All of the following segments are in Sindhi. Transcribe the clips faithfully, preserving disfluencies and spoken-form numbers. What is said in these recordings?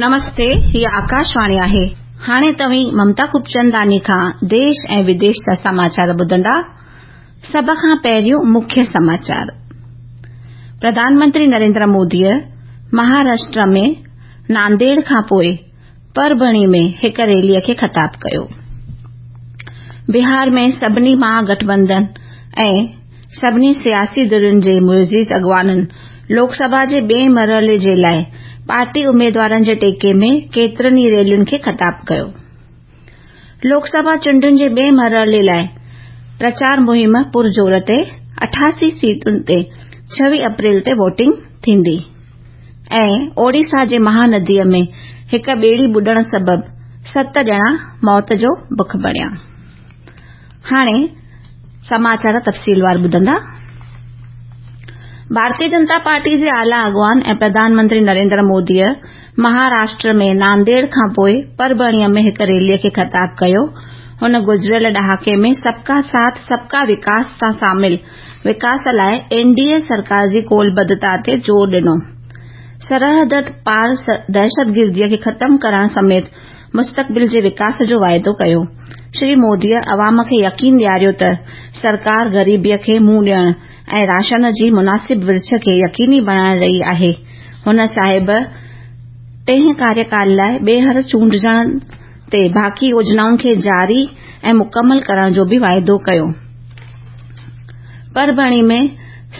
نمستي، هيءَ آڪاشواڻي آهي. هاڻي توهين ممتا خوبچنداڻي کان ديش ۽ وديش جا سماچار ٻڌندا. سڀ کان پهريون مکيه سماچار. پرڌان منتري نريندر موديءَ مهاراشٽر ۾ نانديڙ کان پوءِ پرڀڻي ۾ هڪ ريليءَ کي خطاب ڪيو. بهار ۾ سڀني مهاگٺبنڌن ۽ سڀني سياسي ڌرين جي معزز اڳواڻن لوڪ سڀا جي ٻئي مرحلي جي لاءِ پارٽي اميدوارن جي ٽيڪي ۾ ڪيترن ئي ريلين کي خطاب ڪيو. لوڪ سڀا چونڊن جي ٻئي مرحلي لاءِ پرچار مهم پرزور تي اٺاسي سيٽن تي ڇويهه اپريل تي ووٽنگ ٿيندي ۽ اوڊيسا جي مهانديءَ ۾ هڪ ٻيڙي ٻڏڻ سبب ست ڄڻا موت جو بک بڻيا. هاڻي سماچار تفصيلوار ٻڌندا. ڀارتيه جنتا پارٽي جي اعليٰ اڳواڻ ۽ پرڌان منتري نريندر موديءَ مهاراشٽر ۾ نانديڙ کان پوءِ پرڀڻيءَ ۾ هڪ ريليءَ کي خطاب ڪيو. هن گذريل ڏهاڪي ۾ سبڪا ساٿ سبڪا وڪاس سان شامل وڪاس لاءِ اين ڊي اي سرڪار جي ڪولبڌتا تي زور ڏنو. سرحد پار دهشتگرديءَ کي ختم ڪرڻ سميت مستقبل جي وڪاس جو واعدو ڪيو. شري موديءَ عوام کي يقين ڏياريو ته سرڪار غريبيءَ کي منهن ڏيڻ ۽ راشن جي مناسب ورڇ کي يقيني بڻائي رهي آهي. هن صاحب ٽئين ڪاريڪال لاءِ ٻيهر چونڊجڻ تي باقي يوجنائن کي جاري ۽ مڪمل ڪرڻ جو به واعدو ڪيو. پرڀڻي ۾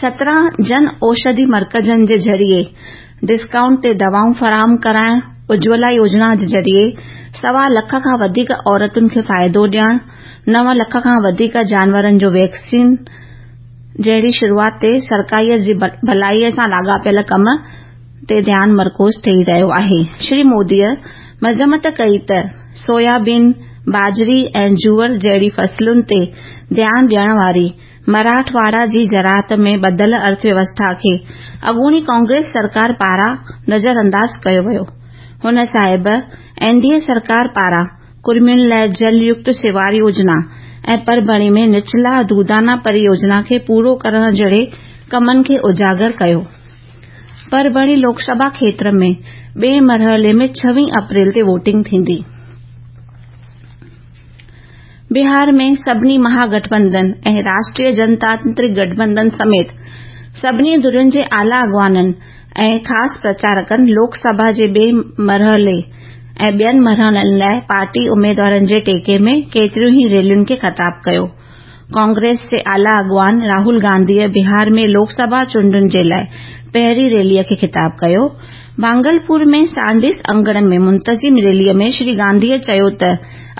سترهن جن اوشڌي مرڪزن جي ذريعي ڊسڪائونٽ تي دوائون فراهم ڪرائڻ، اجولا يوجنا جي ذريعي سوا لک کان وڌيڪ عورتن کي فائدو ڏيڻ، نو لک کان وڌيڪ جانورن جو ويڪسين جهڙي شروعات تي سرڪاريءَ جي ڀلائيءَ سان لاڳاپيل ڪم تي ڌيان مرڪوز ٿي رهيو آهي. شري موديءَ مذمت ڪئي ته سويابين، باجري ۽ جوئر جهڙي فصلن تي ڌيان ڏيڻ واري مراٺواڙا جي زراعت ۾ ٻڌل ارٿويوسٿا کي اڳوڻي ڪانگريس سرڪار پاران نظرانداز ڪيو ويو. هن صاحب اين ڊي اي سرڪار پاران ڪڙمين لاءِ جل يڪت شوار يوجنا ۽ پرڀڻي ۾ نچلا دودانا پريوجنا کي پورو ڪرڻ جهڙي ڪمن کي اجاگر ڪيو. پرڀڻي لوڪ سڀا کيتر ۾ ٻئي مرحلي ۾ ڇويهه اپريل تي ووٽنگ ٿيندي. بهار ۾ سڀني مهاگٺبنڌن ۽ راشٽريه جنتانترڪ گٺبنڌن سميت سڀني ڌرين جي اعليٰ اڳواڻن ۽ خاص پرچارڪن لوڪ سڀا جي ٻئي مرحلي ۽ ٻين مرحلن لاءِ پارٽي اميدوارن جي ٽيڪي ۾ ڪيتريون ئي ريلين کي خطاب ڪيو. ڪانگريس جي اعليٰ اڳواڻ راهول گانڌيءَ بهار ۾ لوڪ سڀا چونڊن جي لاءِ پهرين ريليءَ کي خطاب ڪيو. ڀاگلپور ۾ سانڊس اڱڻ ۾ منتظم ريليءَ ۾ شري گانڌيءَ چيو ته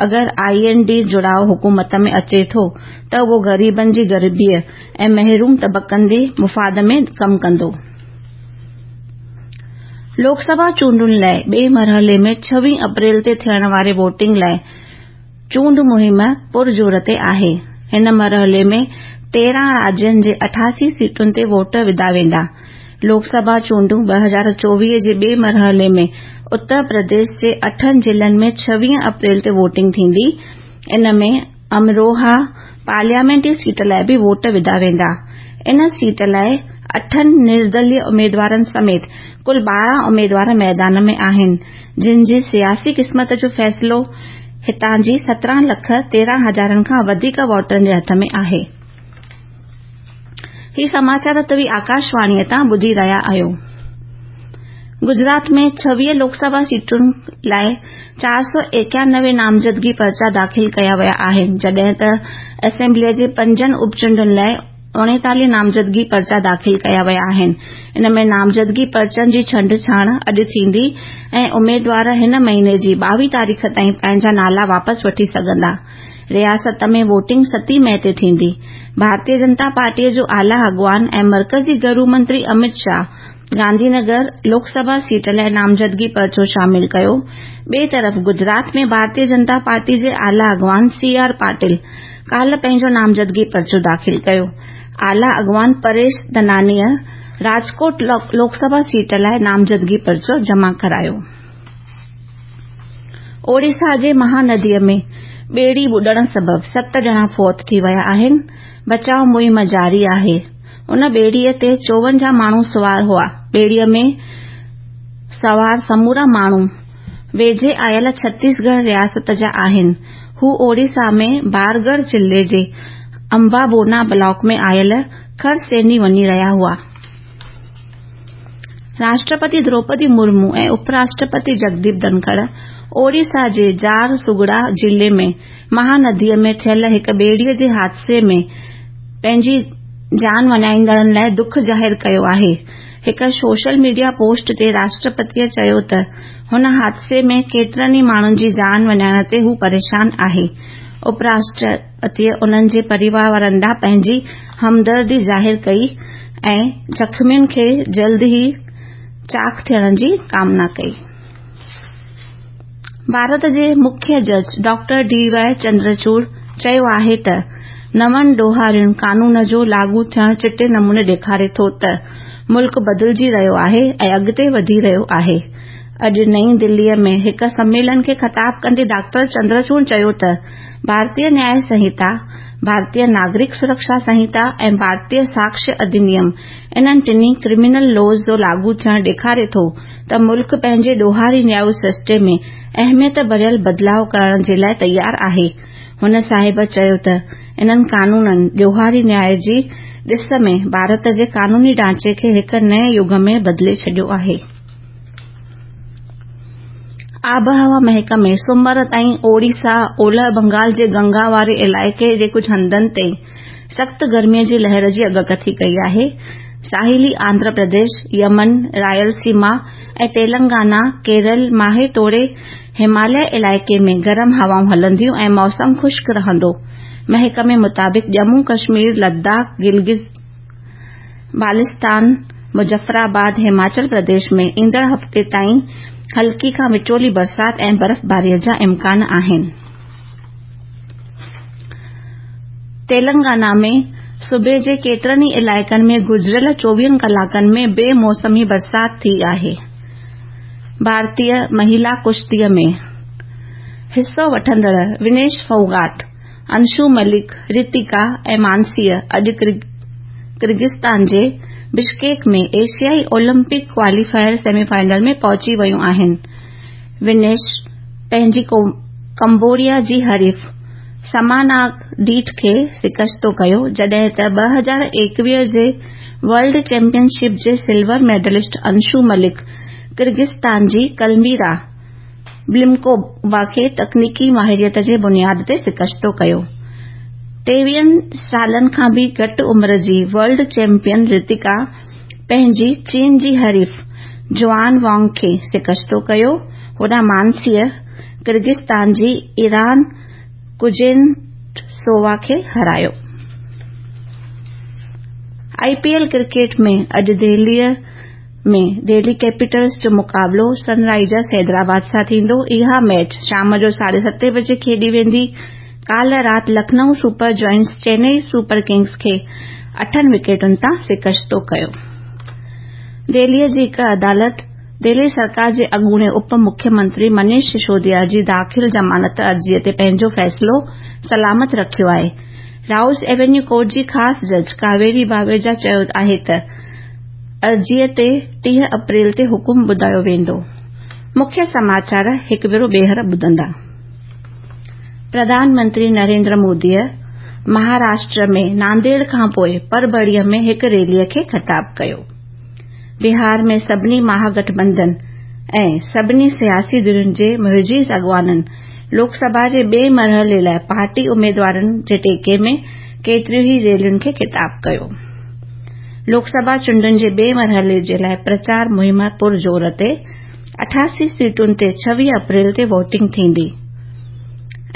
اگر I N D جڙاءُ حڪومت ۾ اچي ٿو ته اهو غريبن جي غريبيءَ ۽ محروم طبقن جي مفاد ۾ ڪم ڪندو. لوڪ سڀا چونڊن لاءِ ٻئي مرحلي ۾ ڇويهه اپريل تي ٿيڻ واري ووٽنگ لاءِ چونڊ مهم پرزور تي آهي. هن مرحلي ۾ تيرهن راجين جي اٺاسي سيٽن تي ووٽ وڌا ويندا. لوڪ سڀا چونڊون ٻه هزار چوويهه جي ٻئي مرحلي ۾ اتر پرديش جي اٺن ضلعن ۾ ڇويهه اپريل تي ووٽنگ ٿيندي. ان ۾ امروها پارليامينٽري سيٽ لاءِ به ووٽ وڌا ويندا. ان سيٽ لاءِ اٺن نردليه اميدوارن سميت ڪل ٻارهن اميدوار ميدان ۾ آهن، جن جي سياسي قسمت جو فيصلو هتان جي سترهن لک تيرهن هزارن کان وڌيڪ ووٽرن جي هٿ ۾ آهي. هي سماچار توهين آڪاشواڻيءَ تان ٻڌي رهيا آهيو. گجرات ۾ ڇويهه لوڪ سڀا سيٽن لاءِ چار سؤ ايڪانوي نامزدگي پرچا داخل ڪيا ويا آهن، جڏهن ته اسيمبليءَ جي پنجن اپچونڊن لاءِ اڻيتاليهه نامزدگي پرچا داخل ڪيا ويا آهن. ان ۾ نامزدگي پرچن جي ڇنڊڇاڻ اڄ ٿيندي ۽ اميدوار هن مهيني جي ٻاويهه تاريخ تائين پنهنجا نالا واپس وٺي سگهندا. رياست ۾ ووٽنگ ستين مئي تي ٿيندي. ڀارتيه جنتا پارٽيءَ جو اعليٰ اڳواڻ ۽ مرڪزي گهرو منتري امت شاهه گانڌي نگر لوڪ سڀا سيٽ لاءِ نامزدگي پرچو شامل ڪيو. ٻئي طرف گجرات ۾ ڀارتيه جنتا پارٽي جي اعليٰ اڳواڻ سي آر پاٽل ڪالهه پنهنجو نامزدگي پرچو داخل ڪيو. اعليٰ اڳواڻ پريش ڌنانيءَ راجڪوٽ لوڪ سڀا سيٽ لاءِ نامزدگي پرچو جمع ڪرايو. اوڊيسا جي مهانديءَ ۾ ٻيڙي ٻڏڻ سبب ست ڄڻا فوت ٿي ويا آهن. بچاءُ مهم جاري آهي. ان ٻيڙيءَ تي چوونجاهه ماڻهو سوار هئا. ٻيڙيءَ ۾ سوار سمورا ماڻهو ويجهي آيل ڇتيسڳڙهه رياست جا آهن. هو اوڙيسا ۾ بارڳڙهه ضلعي جي امبابونا بلاڪ ۾ آيل کرسيني وڃي رهيا هئا. راشٽرپتي دروپدي مرمو ۽ اپراشٽرپتي جگديپ ڌنکڙ اوڙيسا جي جهارسگڙا ضلعي ۾ مهانديء ۾ ٿيل هڪ ٻيڙيء جي حادثي ۾ پنهنجي جان وڃائيندڙن لاءِ دک ظاهر ڪيو آهي. هڪ سوشل ميڊيا پوسٽ تي راشٽرپتيء چيو ته هن حادثي ۾ ڪيترن ئي ماڻهن جي جان وڃائڻ تي هو پريشان آهي. اپراشٽرپتيء انهن جي پريوار وارن ڏانهن پنهنجي همدردي ظاهر ڪئي ۽ زخمين کي جلد ئي چاق ٿيڻ جي ڪامنا ڪئي. ڀارت جي مکيه جج ڊاڪٽر ڊي وائي چندرچوڙ چيو آهي ته نون ڏوهارين قانون جو لاڳو ٿيڻ چٽي نموني ڏيکاري ٿو ته ملڪ بدلجي رهيو آهي ۽ اڳتي وڌي رهيو آهي. اڄ نئين دليء ۾ هڪ سميلن کي خطاب ڪندي ڊاڪٽر چندرچوڙ چيو ته ڀارتيه نياء سنهتا، ڀارتيه ناگرڪ سرڪشا سنهتا ۽ ڀارتيه ساڪشيه اڌنيم انهن ٽنهي ڪرمنل لاز جو لاڳو ٿيڻ ڏيکاري ٿو ته ملڪ پنهنجي ڏوهاري نياء سرشتي ۾ اهميت ڀريل بدلاءُ ڪرڻ جي لاءِ تيار آهي. هن صاحب چيو ته انهن قانونن ڏوهاري نياء جي ڏس ۾ ڀارت جي قانوني ڍانچي کي هڪ نئين يگ ۾ بدلي ڇڏيو آهي. آبهوا محڪمي سومر تائين اوڙيسا، اولهه بنگال جي گنگا واري علائقي جي ڪجهه هنڌن تي سخت گرميءَ جي لهر جي اڳڪٿي ڪئي آهي. ساحلي آنڌرا پرديش، يمن، رائلسيما ۽ تيلنگانا، ڪيرل، ماهي توڙي هماليه علائقي ۾ گرم هوائون هلنديون ۽ موسم خشڪ رهندو. محڪمي مطابق ڄمون ڪشمير، لداخ، گلگت بالتستان، مظفرآباد، هماچل پرديش ۾ ايندڙ هفتي تائين هلڪي کان وچولي برسات ۽ برفباريءَ جا امڪان آهن. تيلنگانا ۾ صوبي جي ڪيترن ئي علائقن ۾ گذريل چوويهن ڪلاڪن ۾ بي موسمي برسات ٿي آهي. ڀارتيه مهلا ڪشتيءَ ۾ حصو وٺندڙ ونيش ڦوگاٽ، انشو ملڪ، رتيڪا ۽ مانسيءَ اڄ ڪرغستان جي بشڪيڪ ۾ ايشيائي اولمپڪ ڪواليفائر سيمي فائنل ۾ پهچي ويون آهن. ونيش پنهنجي ڪمبوڊيا جي حريف سماناگ ڊيٽ کي شڪستو ڪيو، جڏهن ته ٻه هزار ايڪويهه جي ورلڊ چيمپيئن شپ جي سلور ميڊلسٽ انشو ملڪ ڪرغستان جي ڪلميرا بلمڪووا کي تڪنيڪي ماهريت جي بنياد تي شڪستو ڪيو. ٽيويهن سالن کان به گهٽ عمر جي ورلڊ چيمپيئن رتيڪا پنهنجي چين جي حريف جوآن وانگ کي شڪستو ڪيو. هوڏانهن مانسيءَ ڪرغستان جي ايران ڪوزنيٽسووا کي هارايو. آءِ پي ايل ڪرڪيٽ ۾ اڄ دهليءَ ۾ دهلي ڪيپيٽلز جو مقابلو سن رائيزرز حيدرآباد سان ٿيندو. اها ميچ شام جو ساڍي ستين بجي کيڏي ويندي. ڪالهه رات Lucknow super giants Chennai super kings کي اٺن وڪيٽن تان شڪستو ڪيو. دهليءَ جي هڪ عدالت دهلي سرڪار جي اڳوڻي اپ مکيه منتري منيش سسوديا جي داخل ضمانت عرضيءَ تي پنهنجو فيصلو سلامت رکيو آهي. رائوز ايونيو ڪورٽ جي خاص جج ڪاويري باويجا چيو آهي ته عرضيءَ تي ٽيهه اپريل تي حڪم ٻڌايو ويندو. مکيه سماچار هڪ ڀيرو ٻيهر ٻڌندا. پرڌان منتري نريندر موديءَ مهاراشٽر ۾ نانديڙ کان پوءِ پرڀڻيءَ ۾ هڪ ريليءَ کي خطاب ڪيو. بهار ۾ سڀني مهاگٺبنڌن ۽ سڀني سياسي ڌرين جي معزز اڳواڻن لوڪ سڀا جي ٻئي مرحلي لاءِ پارٽي اميدوارن جي ٽيڪي ۾ ڪيتريون ئي ريلين کي خطاب ڪيو. لوڪ سڀا چونڊن جي ٻئي مرحلي جي لاءِ پرچار مهم پرزور تي اٺاسي سيٽن تي ڇويهه اپريل تي ووٽنگ ٿيندي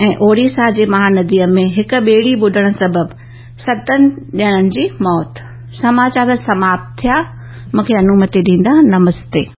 ۽ اوڙيسا جي مهانديءَ ۾ هڪ ٻيڙي ٻڏڻ سبب ستن ڄڻن جي موت. سماچار سماپت ٿيا. مون کي انومتي ڏيندا. نمستي.